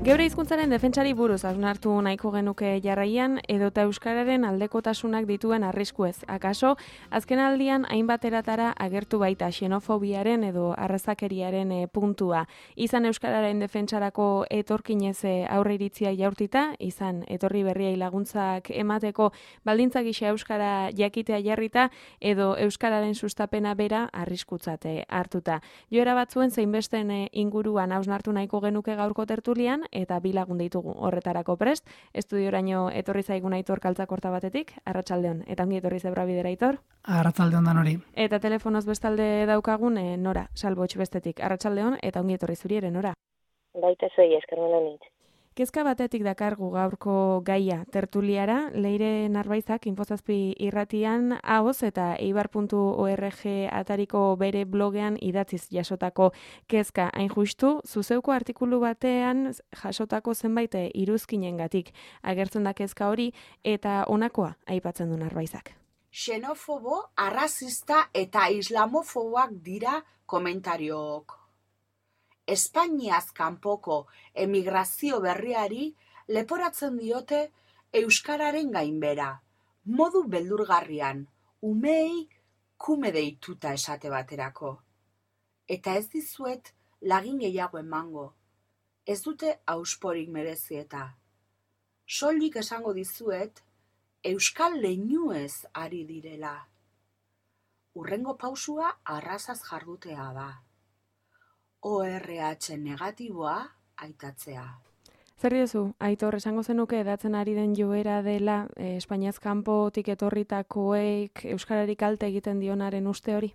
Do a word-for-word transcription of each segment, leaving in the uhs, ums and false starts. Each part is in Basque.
Geure hizkuntzaren defentsari buruz hausnartu nahiko genuke jarraian edota euskararen aldekotasunak dituen arriskuez. Akaso, azken aldian hainbat eratara agertu baita xenofobiaren edo arrazakeriaren e, puntua. Izan euskararen defentsarako etorkinez aurre iritzia jaurtita, izan etorri berriai laguntzak emateko baldintza gisa euskara jakitea jarrita edo euskararen sustapena bera arriskutzate hartuta. Joera batzuen zeinbesten e, inguruan hausnartu nahiko genuke gaurko tertulian, eta bi lagun ditugu horretarako prest. Estudioraino etorri zaigun Aitor Kaltzakorta batetik, arratsaldeon, eta ongi etorri zebra bidera Aitor. Arratsaldeon danori. Eta telefonoz bestalde daukagun e, Nora, Salbotx bestetik, arratsaldeon, eta ongi etorri zuri ere Nora. Baita zuei eskermelo nintz. Kezka batetik dakargu gaurko gaia tertuliara, Leire Narbaizak Infozazpi irratian ahoz eta eibar puntu org atariko bere blogean idatziz jasotako kezka hain justu, zuzeuko artikulu batean jasotako zenbait iruzkinengatik agertzen da kezka hori eta honakoa aipatzen du Narbaizak. Xenofobo, arrazista eta islamofoboak dira komentariok. Espainiaz kanpoko emigrazio berriari leporatzen diote euskararen gainbera, modu beldurgarrian, umei kume deituta esate baterako. Eta ez dizuet lagin gehiago emango, ez dute ausporik merezi eta. Soilik esango dizuet, euskal leinuez ari direla. Hurrengo pausua arrazaz jardutea da. O R H negatiboa aitatzea. Zer diozu, Aitor, esango zenuke edatzen ari den joera dela eh, Espainiaz kanpotik etorritakoek euskararik kalte egiten dionaren uste hori?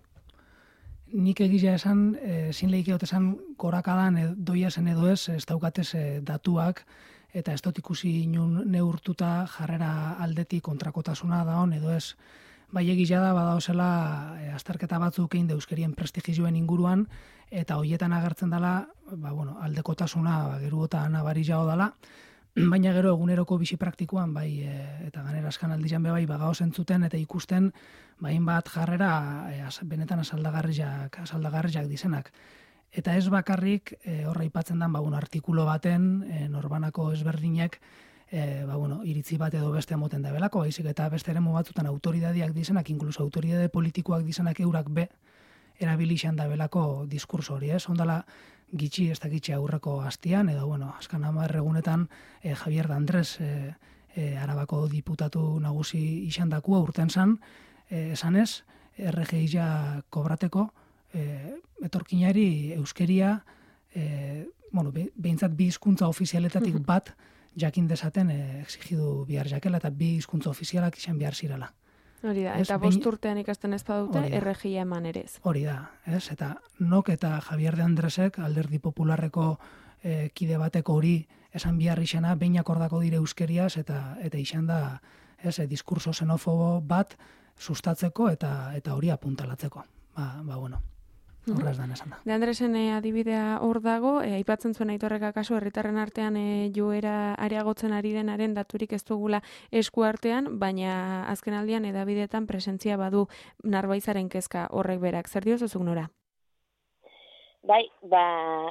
Nik egia esan, ezin lehikeot esan gorakadan e, doia zen edo ez, ez daukatez e, datuak, eta ez dut ikusi inun neurtuta jarrera aldetik kontrakotasuna da hon edo ez. Bai egia da badaozela e, azterketa batzuk egin euskerien prestigioen inguruan, eta hoietan agertzen dela, ba, bueno, aldekotasuna ba, geruota nabari jago dela, baina gero eguneroko bizi praktikoan, bai, e, eta ganera askan aldian bai, bagao zentzuten eta ikusten, bain bat jarrera e, az, benetan asaldagarriak, asaldagarriak dizenak. Eta ez bakarrik, e, horra ipatzen den, ba, bueno, artikulo baten, e, norbanako ezberdinek, E, ba, bueno, iritzi bat edo beste moten da belako, baizik eta beste eremu batzutan autoridadiak dizenak, inkluso autoridade politikoak dizenak eurak be, erabilixan da belako diskurso hori, ez? Ondala gitxi ez da gitxi aurreko hastian, edo, bueno, askan hamar egunetan e, Javier de Andres, e, e, Arabako diputatu nagusi izandakua urten zan, e, esanez, R G I-a kobrateko, e, etorkinari euskeria, e, bueno, be, behintzat bi hizkuntza ofizialetatik bat, jakin dezaten e, exigidu bihar jakela eta bi hizkuntza ofizialak izan behar zirela. Hori da, ez, eta bost urtean ikasten ez badute, R G I-a eman ere ez. Hori da, ez, eta nok eta Javier de Andresek, Alderdi Popularreko e, kide bateko hori esan bihar izena, behin akordako dire euskeriaz, eta eta izan da, ez, e, diskurso xenofobo bat sustatzeko eta eta hori apuntalatzeko. Ba, ba bueno. Horraz dan esan da. De Andresen e, adibidea hor dago, e, aipatzen zuen Aitorrek akaso herritarren artean e, joera areagotzen ari denaren daturik ez dugula esku artean, baina azken aldian edabideetan presentzia badu Narbaizaren kezka horrek berak. Zer diozuzuk Nora? Bai, ba,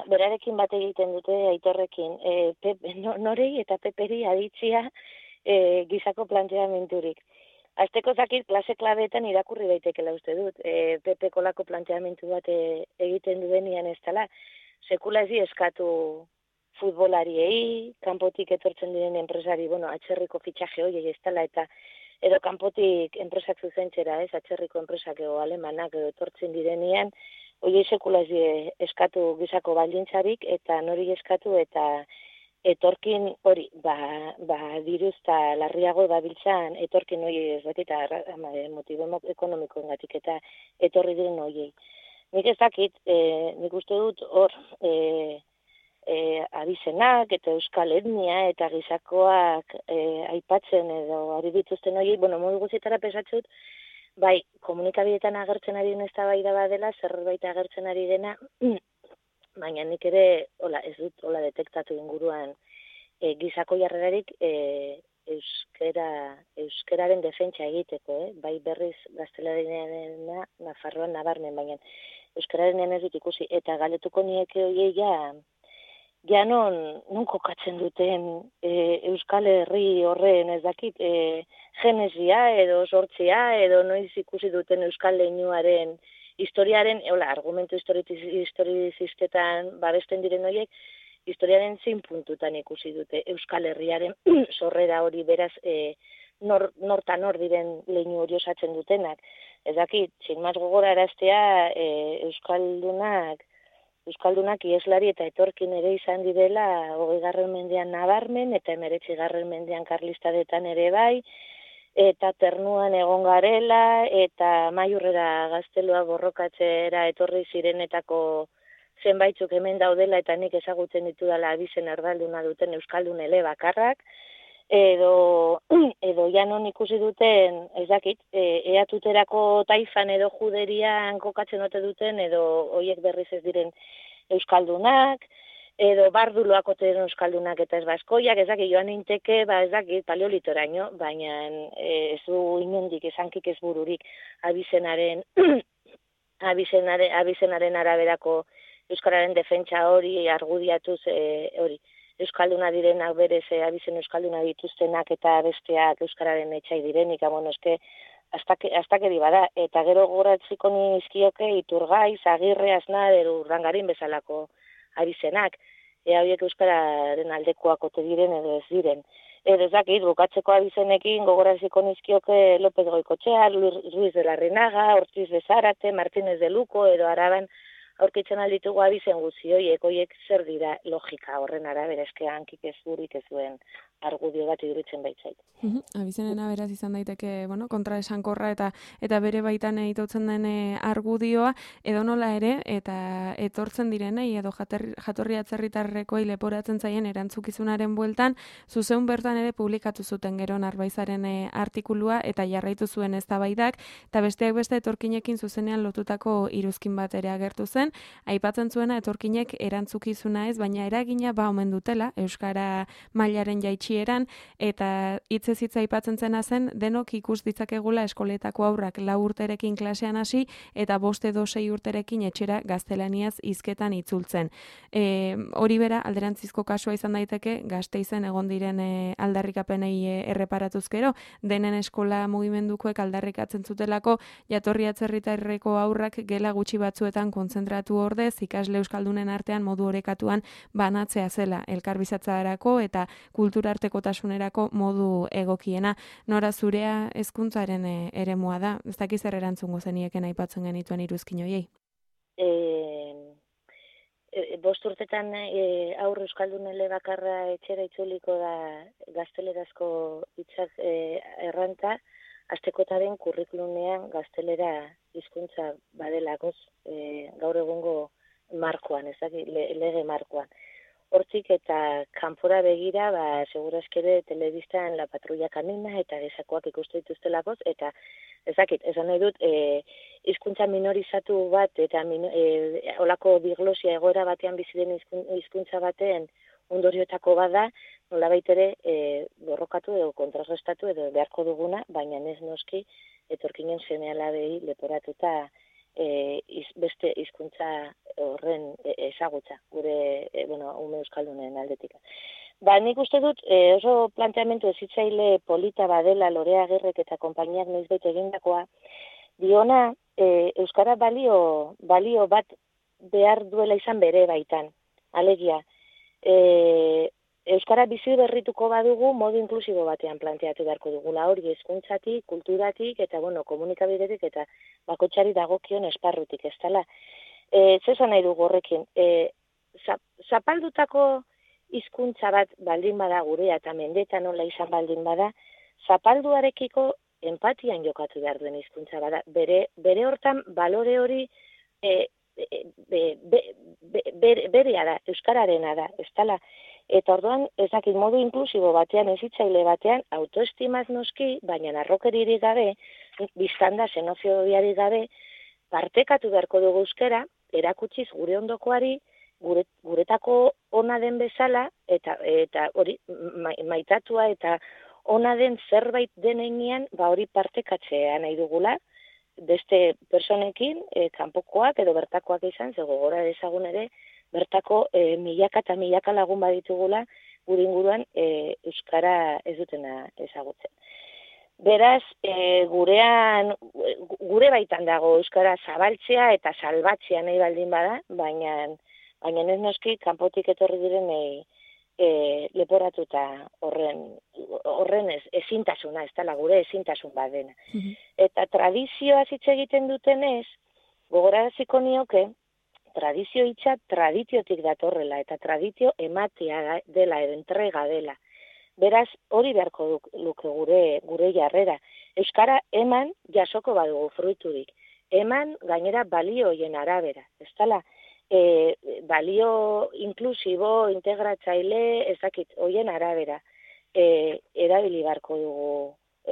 berarekin bat egiten dute Aitorrekin, e, pep, no, norei eta peperi aditzia e, gizako planteamenturik. Azteko zakit klase klabeetan irakurri daitekela uste dut. E, Pepe kolako planteamentu bat e, egiten duenian ez dela. Sekula ez eskatu futbolariei, kanpotik etortzen diren enpresari, bueno, atxerriko fitxaje horiei ez dela, eta edo kanpotik enpresak zuzentzera, ez, atxerriko enpresak edo alemanak edo etortzen direnean, horiei sekula ez eskatu gizako baldintzarik, eta nori eskatu, eta etorkin hori, ba, ba diruzta larriago dabiltzan etorkin hori ez bat eta motibo ekonomikoengatik eta etorri diren horiei. Nik ez dakit, e, nik uste dut hor e, e, abizenak eta euskal etnia eta gizakoak e, aipatzen edo ari dituzten horiei, bueno, modu guztietara pesatzut, bai, komunikabideetan agertzen ari den eztabaida badela, zerbait agertzen ari dena, baina nik ere, hola, ez dut, hola, detektatu inguruan e, gizako jarrerarik e, euskera, euskeraren defentsa egiteko, eh? Bai berriz gaztelaniarena Nafarroan nabarmen, baina euskararen ez dut ikusi, eta galetuko nieke horiei ja ja non, non kokatzen duten e, Euskal Herri horren ez dakit, e, genesia edo sortzia edo noiz ikusi duten Euskal leinuaren historiaren, hola, argumentu historizistetan babesten diren horiek, historiaren zein puntutan ikusi dute Euskal Herriaren sorrera hori beraz e, nor, norta nor diren leinu hori osatzen dutenak. Ez dakit, txinmaz gogora eraztea e, Euskaldunak Euskaldunak ieslari eta etorkin ere izan direla hogeigarren mendean nabarmen eta hemeretzigarren mendean karlistadetan ere bai, eta ternuan egon garela eta maiurrera gaztelua borrokatzera etorri zirenetako zenbaitzuk hemen daudela eta nik ezagutzen ditudala abizen erdalduna duten euskaldun ele bakarrak, edo, edo janon ikusi duten, ez dakit, e, eatuterako taifan edo juderian kokatzen ote duten, edo hoiek berriz ez diren euskaldunak, edo barduloak ote diren euskaldunak eta ez baskoiak, ez dakit, joan einteke, ba ez dakit, paleolitoraino, baina e, ez du inondik, esankik ez bururik abizenaren, abizenaren, abizenaren araberako euskararen defentsa hori argudiatuz e, hori. Euskalduna direnak berez e, abizen euskalduna dituztenak eta besteak euskararen etxai direnik, bueno, eske astakeri bada, eta gero goratziko nizkioke Iturgaiz, Agirre, Aznar, edo Urdangarin bezalako abizenak, ea horiek euskararen aldekoak ote diren edo ez diren. Edo ez dakit, bukatzeko abizenekin gogoratziko nizkioke López Goikotxea, Ruiz de la Renaga, Ortiz de Zárate, Martínez de Luco, edo Araban aurkitzen alditugu abizen guzti horiek, horiek zer dira logika horren arabera, eske hankik ez burik ez duen argudio bat iduritzen baitzait. Uh -huh. Abizenen aberaz izan daiteke, bueno, kontra esankorra eta eta bere baitan itotzen den argudioa, edo nola ere, eta etortzen direnei, edo jaterri, jatorri atzerritarrekoei leporatzen zaien erantzukizunaren bueltan, zuzeun bertan ere publikatu zuten gero Narbaizaren artikulua, eta jarraitu zuen eztabaidak, eta besteak beste etorkinekin zuzenean lotutako iruzkin bat ere agertu zen, aipatzen zuena etorkinek erantzukizuna ez, baina eragina ba omen dutela, euskara mailaren jaitsi eran, eta hitzez hitza aipatzen zena zen, denok ikus ditzakegula eskoletako aurrak lau urterekin klasean hasi, eta bost edo sei urterekin etxera gaztelaniaz hizketan itzultzen. E, hori bera, alderantzizko kasua izan daiteke, Gasteizen egon diren e, aldarrikapenei e, erreparatuz gero, denen eskola mugimendukoek aldarrikatzen zutelako, jatorri atzerritarreko aurrak gela gutxi batzuetan kontzentratu ordez, ikasle euskaldunen artean modu orekatuan banatzea zela, elkarbizatzarako eta kultura artekotasunerako modu egokiena. Nora zurea hezkuntzaren e, eremua da, ez dakiz zer erantzungo zenieken aipatzen genituen iruzkin horiei? E, e, bost urtetan e, aur euskaldunele bakarra etxera itzuliko da gaztelerazko hitzak e, erranta, astekotaren kurrikulunean gaztelera hizkuntza badelakoz e, gaur egungo markoan, ez dakit, le, lege markoan. Hortik eta kanpora begira, ba, segurazkere telebistan La Patrulla Kanina eta gesakoak ikustu dituztelakoz, eta ezakit, esan nahi dut, e, hizkuntza minorizatu bat, eta min, e, olako diglosia egoera batean biziren hizkuntza baten ondorioetako bada, nolabait ere e, borrokatu edo kontrarrestatu edo beharko duguna, baina ez noski etorkinen seme-alabei leporatuta E, iz, beste hizkuntza horren e, ezagutza, gure e, bueno, ume euskaldunen aldetik. Ba, nik uste dut e, oso planteamendu ezitzaile polita badela Lorea Agirrek eta konpainiak noizbait egindakoa, diona e, euskara balio, balio bat behar duela izan bere baitan. Alegia, e, euskara bizi berrituko badugu modu inklusibo batean planteatu beharko dugula hori hezkuntzatik, kulturatik eta bueno, komunikabidetik eta bakoitzari dagokion esparrutik, ez dela. E, Zesan nahi dugu horrekin, e, zapaldutako hizkuntza bat baldin bada gurea eta mendeta nola izan baldin bada, zapalduarekiko empatian jokatu behar duen hizkuntza bada. Bere, bere hortan balore hori e, be, be, be, be, berea da, euskararena da, ez dela. Eta orduan, ezakit modu inklusibo batean, ezitzaile batean, autoestimaz noski, baina narrokeririk gabe, biztanda xenofobiarik gabe, partekatu beharko dugu euskara, erakutsiz gure ondokoari, gure, guretako ona den bezala, eta eta hori ma, maitatua eta ona den zerbait denean, ba hori partekatzea nahi dugula, beste personekin, e, kanpokoak edo bertakoak izan, ze gogora dezagun ere, bertako e, milaka eta milaka lagun baditugula gure inguruan e, euskara ez dutena ezagutzen. Beraz, e, gurean, gure baitan dago euskara zabaltzea eta salbatzea nahi baldin bada, baina, baina ez noski kanpotik etorri direnei e, leporatuta horren, horren ez, ezintasuna, ez dela gure ezintasun badena. Mm-hmm. Eta tradizioa hitz egiten dutenez, gogoraraziko nioke, tradizio hitza tradiziotik datorrela, eta tradizio ematea dela, edo entrega dela. Beraz, hori beharko duk, luke gure, gure jarrera. Euskara eman jasoko badugu fruiturik. Eman gainera balioien arabera. Ez dela, e, balio inklusibo, integratzaile, ezakit, hoien arabera. E, erabili beharko dugu,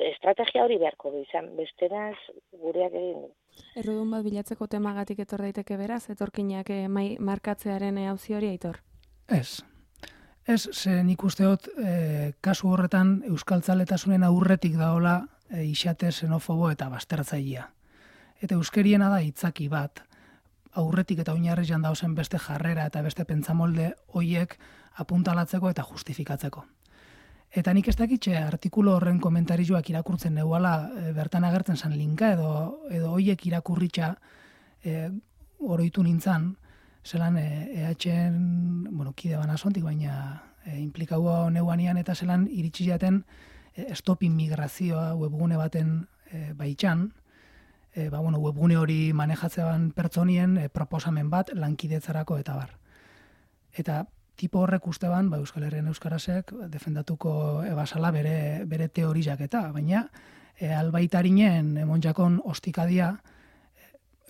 estrategia hori beharko du izan, bestenaz gureak egin du. Errudun bat bilatzeko temagatik etor daiteke beraz, etorkinak e, mai, markatzearen auzi hori Aitor? Ez. Ez, ze nik uste dut, e, kasu horretan euskaltzaletasunen aurretik daola e, isate xenofobo eta bastertzailea. Eta euskeriena da hitzaki bat, aurretik eta oinarrian dauzen beste jarrera eta beste pentsamolde hoiek apuntalatzeko eta justifikatzeko. Eta nik ez dakitxe artikulu horren komentarizuak irakurtzen neuala e, bertan agertzen zan linka edo edo hoiek irakurritxa e, oroitu nintzan, zelan E H-en, bueno, kide bana zontik, baina e, implikau neuanian eta zelan iritsi jaten e, stop immigrazioa webgune baten e, baitxan, e, ba, bueno, webgune hori manejatzean pertsonien e, proposamen bat lankidetzarako eta bar. Eta tipo horrek uste ban, ba, Euskal Herrian Euskarasek defendatuko ebasala bere, bere teorizak eta, baina e, albaitarinen emonjakon ostikadia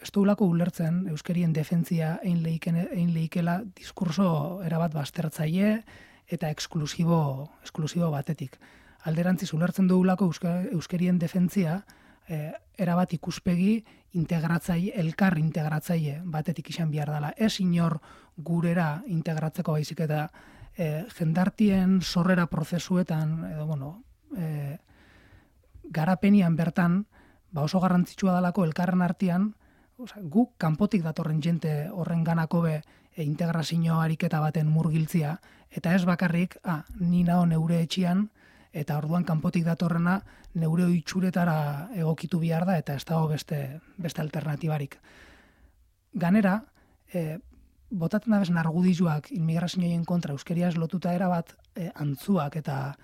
ez duelako ulertzen euskerien defentzia egin lehikela diskurso erabat bastertzaile eta eksklusibo, eksklusibo batetik. Alderantziz ulertzen duelako euskerien defentzia eh, erabat ikuspegi integratzaile, elkar integratzaile batetik izan behar dela. Ez inor gurera integratzeko baizik eta eh, jendartien sorrera prozesuetan, edo bueno, eh, garapenian bertan, ba oso garrantzitsua dalako elkarren artean, guk kanpotik datorren jente horren ganako be e, integrazio ariketa baten murgiltzia, eta ez bakarrik, ah, ni nao neure etxian, eta orduan kanpotik datorrena neure oitxuretara egokitu behar da, eta ez dago beste, beste alternatibarik. Ganera, e, botatzen da bez nargudizuak inmigrazioen kontra euskeriaz lotuta erabat e, antzuak eta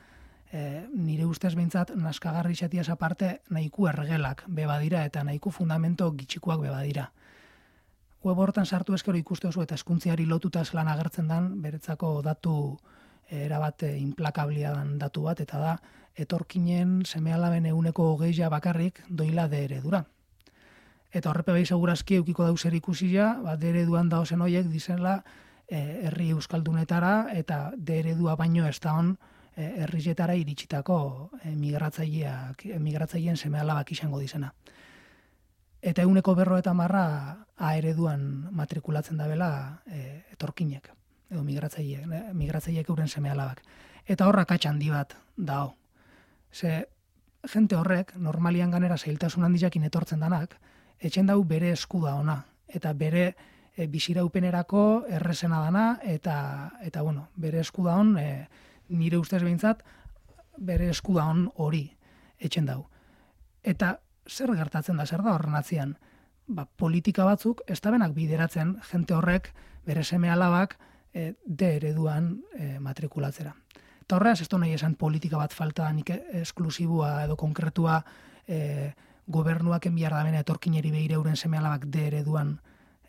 E, nire ustez behintzat naskagarri xatiaz aparte nahiku ergelak bebadira eta nahiku fundamento gitxikuak bebadira. Web hortan sartu eskero ikuste oso eta eskuntziari lotuta zelan agertzen dan beretzako datu e, erabat e, implakablia dan datu bat, eta da etorkinen seme-alaben euneko hogeia bakarrik doila de eredura. Eta horrepe behi segurazki eukiko dauzer ikusia, ba, de ereduan daozen hoiek dizela e, herri euskaldunetara eta de eredua baino ez da hon herrietara iritsitako migratzaileak, migratzaileen seme-alabak izango dizena. Eta euneko berro eta marra A ereduan matrikulatzen dabela e, etorkinek, edo migratzaileek, migratzaileek euren seme-alabak. Eta horrak handi bat dao. Ze, jente horrek, normalian ganera zailtasun handiakin etortzen danak, etxen dau bere eskuda ona, eta bere e, biziraupenerako errezena dana, eta, eta bueno, bere eskuda on, e, nire ustez behintzat, bere eskuda on hori etxen dau. Eta zer gertatzen da, zer da horren atzian? Ba, politika batzuk, ez da benak bideratzen jente horrek bere seme-alabak e, de ereduan e, matrikulatzera. Eta horreaz, ez da nahi esan politika bat falta nik esklusibua edo konkretua e, gobernuak enbiar da bena etorkineri behire euren seme-alabak de ereduan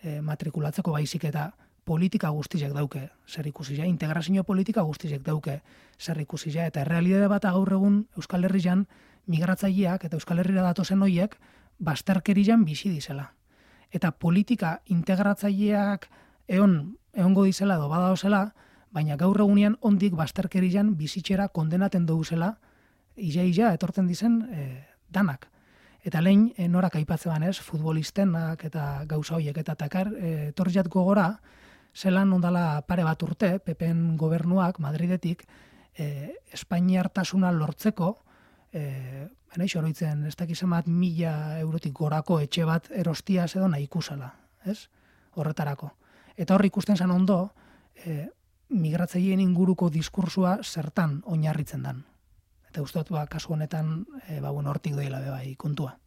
e, matrikulatzeko baizik eta politika guztizek dauke zer ikusizia, integrazio politika guztizek dauke zer ikusizia, eta errealitate bat gaur egun Euskal Herrian migratzaileak eta Euskal Herrira datozen hoiek basterkerian bizi dizela. Eta politika integratzaileak eon, eongo dizela edo badaozela, baina gaur egunean ondik basterkerian bizitzera kondenaten douzela, ia-ia etortzen dizen e, danak. Eta lehen e, norak aipatzen banez, futbolistenak eta gauza hoiek, eta takar e, torriat gogora, zelan ondala pare bat urte, P P-en gobernuak, Madridetik, eh, Espainiartasuna lortzeko, eh, nahi xoroitzen, ez dakizen bat mila eurotik gorako etxe bat erostiaz edo nahi ikusala, ez? Horretarako. Eta hor ikusten zen ondo, e, migratzaileen inguruko diskursua zertan oinarritzen dan. Eta uste dut, ba, kasu honetan, e, ba, bueno, hortik doila be bai kontua.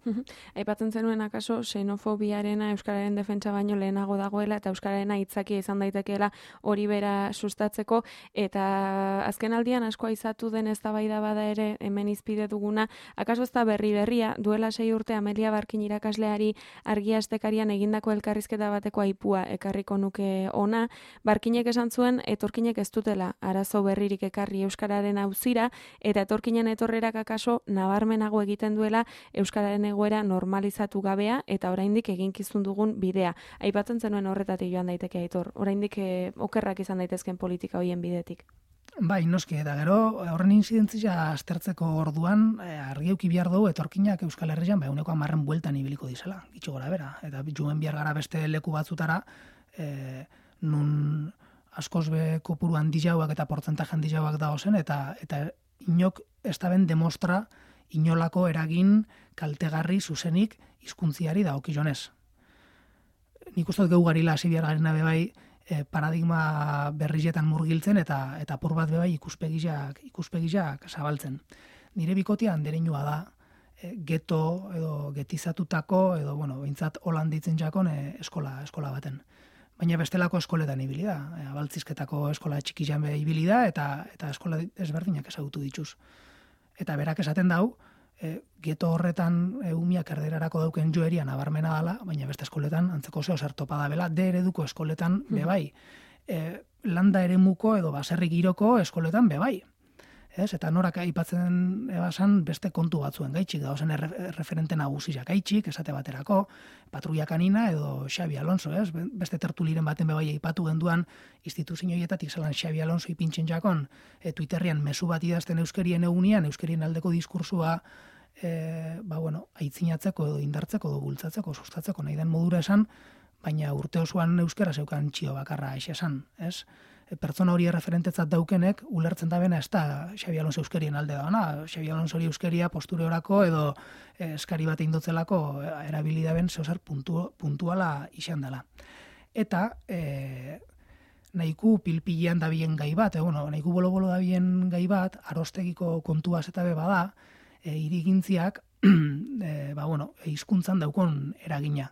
Aipatzen zenuen akaso xenofobiarena euskararen defentsa baino lehenago dagoela eta euskararena hitzakia izan daitekeela hori bera sustatzeko, eta azken aldian asko aizatu den eztabaida bada ere hemen izpide duguna, akaso ez da berri berria, duela sei urte Amelia Barkin irakasleari Argia Astekarian egindako elkarrizketa bateko aipua ekarriko nuke ona. Barkinek esan zuen etorkinek ez dutela arazo berririk ekarri euskararen auzira, eta etorkinen etorrerak akaso nabarmenago egiten duela euskararen egoera normalizatu gabea eta oraindik eginkizun dugun bidea. Aipatzen zenuen horretatik joan daiteke Aitor. Oraindik eh, okerrak izan daitezken politika hoien bidetik. Bai, noski, eta gero horren inzidentzia aztertzeko orduan eh, argi eduki behar dugu etorkinak Euskal Herrian ba ehuneko hamarren bueltan ibiliko dizela, gitxo gora bera. Eta joan behar gara beste leku batzutara, eh, nun askoz be kopuru handilauak eta portzentaje handilauak dagozen, eta eta inok ez da ben demostra inolako eragin kaltegarri zuzenik hizkuntziari dagokionez. Nik uste dut geugarila hasi behar garena bebai e, paradigma berrizetan murgiltzen eta eta apur bat bebai ikuspegiak ikuspegiak zabaltzen. Nire bikotia andereinua da, e, geto edo getizatutako edo bueno, behintzat holanditzen jakon e, eskola eskola baten. Baina bestelako eskoletan ibili da, e, abaltzizketako eskola txikian be ibili da eta eta eskola ezberdinak ezagutu dituz. Eta berak esaten dau, e, geto horretan e, umiak erderarako dauken joeria nabarmena dela, baina beste eskoletan antzeko zeo zer topa da bela, de ereduko eskoletan bebai. E, landa eremuko edo baserri giroko eskoletan bebai. Ez? Eta norak aipatzen ebasan beste kontu batzuen gaitxik, dauzen erre, referente nagusiak gaitxik, esate baterako, Patrulla Kanina edo Xabi Alonso, ez? Beste tertuliren baten bebai aipatu genduan instituzioietatik zelan Xabi Alonso ipintzen jakon e, Twitterrian mezu bat idazten euskerien egunean, euskerien aldeko diskursua e, ba, bueno, aitzinatzeko edo indartzeko edo bultzatzeko, sustatzeko nahi den modura esan, baina urte osoan euskera zeukan txio bakarra aixe esan, ez? Pertsona hori referentetzat daukenek, ulertzen da bena ez da Xabi Alonso euskerien alde dauna. Xabi Alonso hori euskeria posture orako edo eskari bat indotzelako erabili da ben zeozer puntu, puntuala izan dela. Eta e, nahiku pilpilean dabien gai bat, e, bueno, nahiku bolo-bolo dabien gai bat, arostegiko kontua zeta be bada, e, irigintziak, e, ba, bueno, hizkuntzan daukon eragina.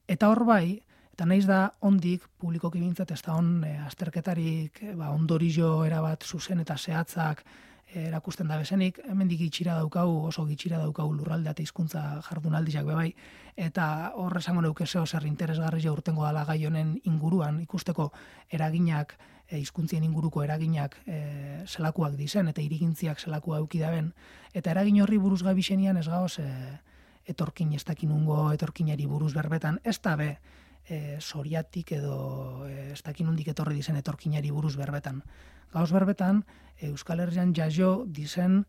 Eta hor bai, eta naiz da ondik publikoki bintzat ez da on e, azterketarik e, ba, ondorio erabat zuzen eta zehatzak e, erakusten da bezenik, hemendik gitxira daukau, oso gitxira daukau lurralde eta hizkuntza jardunaldiak bebai, eta hor esango neuke zeo zer interesgarri urtengo dala gai honen inguruan, ikusteko eraginak, e, hizkuntzien inguruko eraginak e, zelakuak dizen, eta irigintziak zelakua eukidaben, eta eragin horri buruz gabixenian ez gauz e, etorkin ez dakinungo etorkinari buruz berbetan, ez da be, E, soriatik edo e, ez dakin hundik etorri dizen etorkinari buruz berbetan. Gauz berbetan, e, Euskal Herrian jaio dizen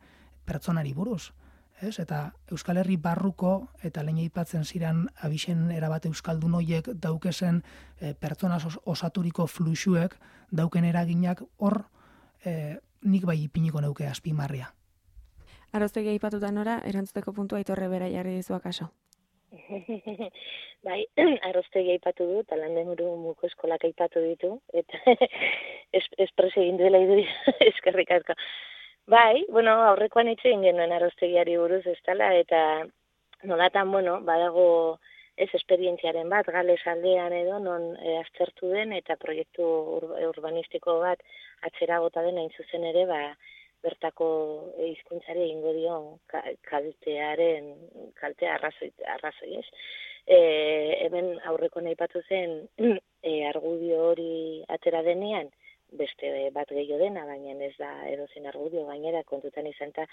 pertsonari buruz. Ez? Eta Euskal Herri barruko eta lehen aipatzen ziren abixen erabat euskaldun hoiek daukezen e, pertsona osaturiko fluxuek dauken eraginak hor e, nik bai ipiniko neuke azpimarria. Aroztegi aipatuta nora, erantzuteko puntua Aitorre bera jarri dizu akaso. Bai, arroztegi aipatu du, eta landenguru muko eskolak aipatu ditu, eta espreso egin duela idu eskerrik asko. Bai, bueno, aurrekoan hitz egin genuen arroztegiari buruz ez dela, eta nolatan, bueno, badago ez esperientziaren bat, Gales aldean edo, non e, aztertu den, eta proiektu ur, urbanistiko bat atzera bota den hain zuzen ere, ba, bertako hizkuntzari egingo dio kaltearen kaltea arrazoi arrazoi, ez? E, hemen aurreko aipatu zen e, argudio hori atera denean beste bat gehiago dena, baina ez da edozein argudio gainera kontutan izanta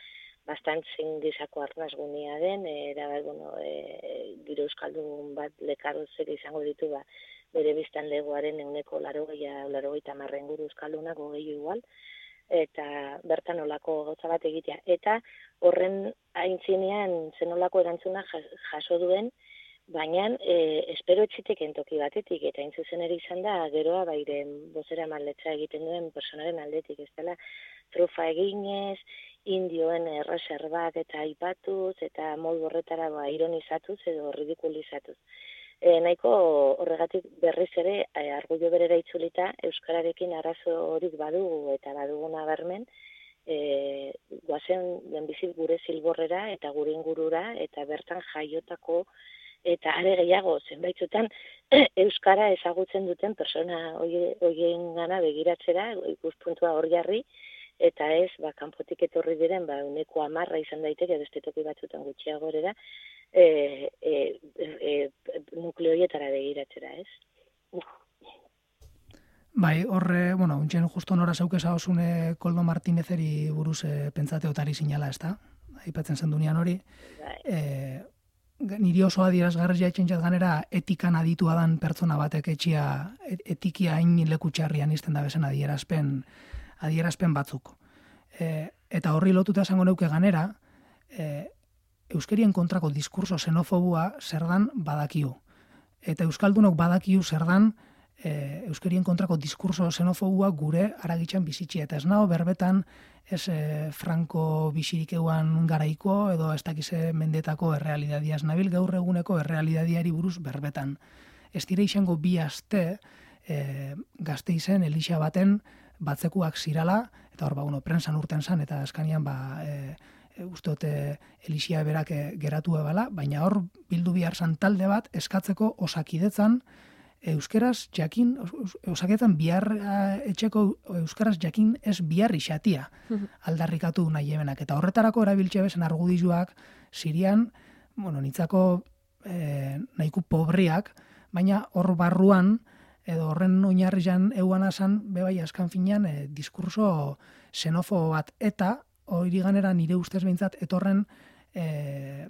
bastant zein gisako arnasgunea den, era bueno, e, giro euskaldun bat lekarozek izango ditu ba bere biztanlegoaren ehuneko laurogeita laurogeita hamar inguru euskaldunak gehiago igual. Eta bertan olako gauza bat egitea. Eta horren aintzinean zenolako erantzuna jaso duen, baina e, espero etxiteken toki batetik, eta hain zuzen ere izan da, geroa bairen bozera maletza egiten duen personaren aldetik, ez dela trufa eginez, indioen erreserbak eta aipatuz, eta modu horretara ba, ironizatuz edo ridikulizatuz. E, nahiko horregatik berriz ere e, argudio berera itzulita euskararekin arazo horik badugu eta baduguna bermen, e, guazen lehenbizi gure zilborrera eta gure ingurura eta bertan jaiotako eta are gehiago zenbaitzutan euskara ezagutzen duten persona horien gana begiratzera, ikuspuntua hor jarri, eta ez, ba, kanpotik etorri diren, ba, uneko amarra izan daiteke, beste toki batzutan gutxiagorera, e, e, e, nukleoietara begiratzera, ez? Bai, horre, bueno, untxen justo nora zaukeza osune Koldo Martinezeri buruz e, pentsate otari sinala, ez da? Aipatzen zendunean hori. Bai. E, niri oso adierazgarri jaitzen jat ganera etikan aditua dan pertsona batek etxia, etikia hain leku txarrian izten da bezen adierazpen, adierazpen batzuk. E, eta horri lotuta esango neuke ganera, e, euskerien kontrako diskurso xenofobua zer dan badakiu. Eta euskaldunok badakiu zer dan e, euskerien kontrako diskurso xenofobua gure aragitxan bizitxia. Eta ez nago berbetan ez e, Franco bizirik euan garaiko edo ez dakize mendetako errealidadiaz nabil gaur eguneko errealidadiari buruz berbetan. Ez dire izango bi aste e, Gasteizen Elixa baten batzekuak zirala, eta hor, ba, bueno, prensan urten zan, eta askanian, ba, e, e, ustote Elixia berak e, geratu ebala, baina hor bildu bihar zan talde bat eskatzeko osakidetzan euskeraz jakin, osakidetzan bihar etxeko euskaraz jakin ez bihar isatia aldarrikatu nahi ebenak. Eta horretarako erabiltxe bezen argudizuak Sirian, bueno, nitzako e, nahiku pobriak, baina hor barruan, edo horren oinarrian euan asan, bebai askan finean, e, diskurso xenofo bat, eta hori ganera nire ustez behintzat, etorren, e,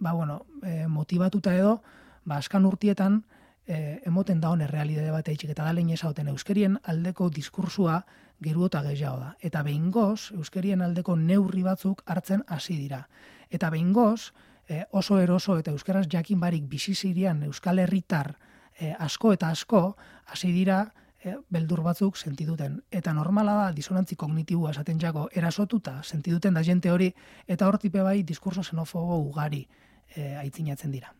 ba, bueno, e, motivatuta edo, ba, askan urtietan, e, emoten da hone realidade bat eitxik, eta da lehen esauten euskerien aldeko diskursua geru eta gehiago da. Eta behingoz, euskerien aldeko neurri batzuk hartzen hasi dira. Eta behingoz, e, oso eroso eta euskeraz jakin barik bizizirian euskal herritar E, asko eta asko hasi dira e, beldur batzuk sentiduten. Eta normala da disonantzi kognitibua esaten jako erasotuta sentiduten da jente hori, eta hortipe bai diskurso xenofobo ugari e, aitzinatzen dira.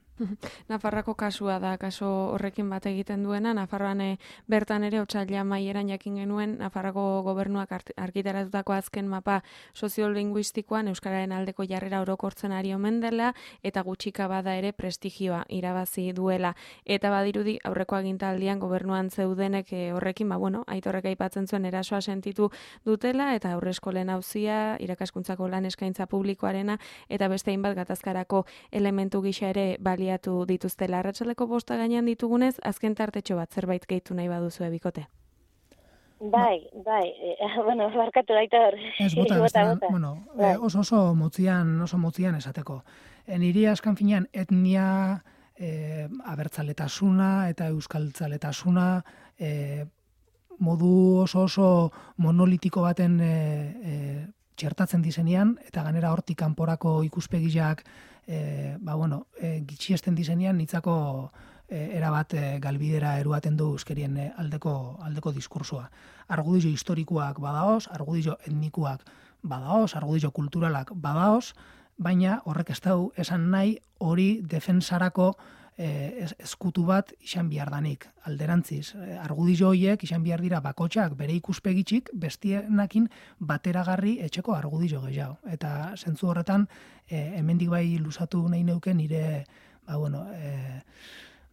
Nafarroako kasua da, kaso horrekin bat egiten duena, Nafarroan e, bertan ere otsaila maieran jakin genuen, Nafarroako gobernuak argitaratutako azken mapa soziolinguistikoan euskararen aldeko jarrera orokortzen ari omen dela, eta gutxika bada ere prestigioa irabazi duela. Eta badirudi aurreko agintaldian gobernuan zeudenek e, horrekin, ba bueno, Aitorrek aipatzen zuen erasoa sentitu dutela, eta aurreskolen auzia, irakaskuntzako lan eskaintza publikoarena, eta beste hainbat gatazkarako elementu gisa ere bali dituztela. Arratsaleko bosta gainean ditugunez, azken tartetxo bat zerbait gehitu nahi baduzu ebikote. Bai, bai, e, bueno, barkatu baita hor. Ez bota, bota, bota. Bueno, bai. e, oso oso motzian, oso motzian esateko. E, niri askan finean etnia, e, abertzaletasuna eta euskaltzaletasuna, e, modu oso oso monolitiko baten e, e, txertatzen dizenean, eta ganera hortik kanporako ikuspegiak E, ba, bueno, e, gitxiesten dizenean nitzako e, erabat e, galbidera eruaten du euskerien e, aldeko, aldeko diskursua. Argudio historikoak badaoz, argudio etnikuak badaoz, argudio kulturalak badaoz, baina horrek ez dau esan nahi hori defensarako e, eskutu bat izan behar danik. Alderantziz, argudio horiek izan behar dira bakotxak bere ikuspegitxik bestienakin bateragarri etxeko argudio gehiago. Eta zentzu horretan, e, hemendik bai luzatu nahi neuke nire ba, bueno, e,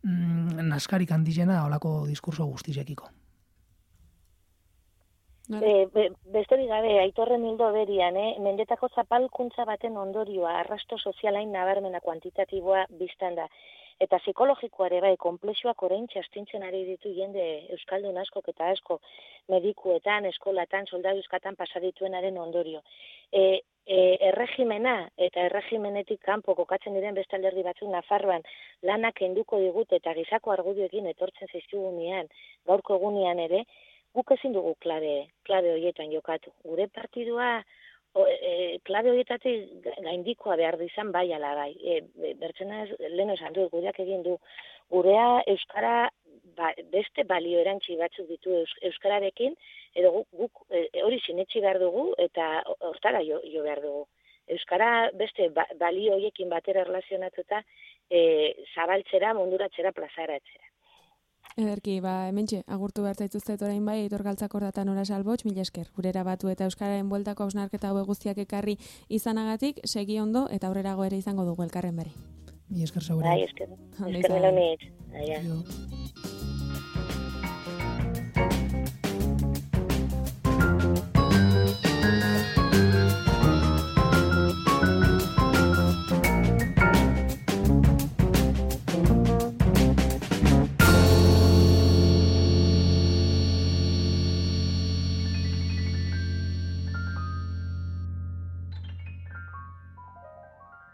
mm, naskarik handizena olako diskurso guztizekiko. E, be, besterik gabe, Aitorren hildo berian, eh? Mendetako zapalkuntza baten ondorioa, arrasto sozialain nabarmena kuantitatiboa biztan da. Eta psikologikoare bai, konplexuak orain txastintzen ari ditu jende euskaldun askok eta asko medikuetan, eskolatan, soldaduzkatan pasadituenaren ondorio. E, e, erregimena eta erregimenetik kanpo kokatzen diren beste alderdi batzuk Nafarroan lanak enduko digut eta gizako argudioekin etortzen zaizkigunean, gaurko egunean ere, guk ezin dugu klabe, klabe horietan jokatu. Gure partidua o, e, klabe horietatik gaindikoa behar dizan bai ala bai. E, bertsena lehen esan du, gureak egin du. Gurea euskara ba, beste balio erantzi batzuk ditu eus, euskararekin, edo guk, guk e, hori sinetsi behar dugu eta hortara jo, jo behar dugu. Euskara beste ba, balio horiekin batera erlazionatuta e, zabaltzera, munduratzera, plazaratzera. Ederki, ba, hementxe, agurtu behar zaituztet orain bai, Aitor Galtzakor data Nora Salbotx, mila esker, gurera batu eta Euskararen bueltako hausnarketa hau guztiak ekarri izanagatik, segi ondo eta aurrerago ere izango dugu elkarren beri. Mila esker zaure. Bai, esker. Esker nilo nitz.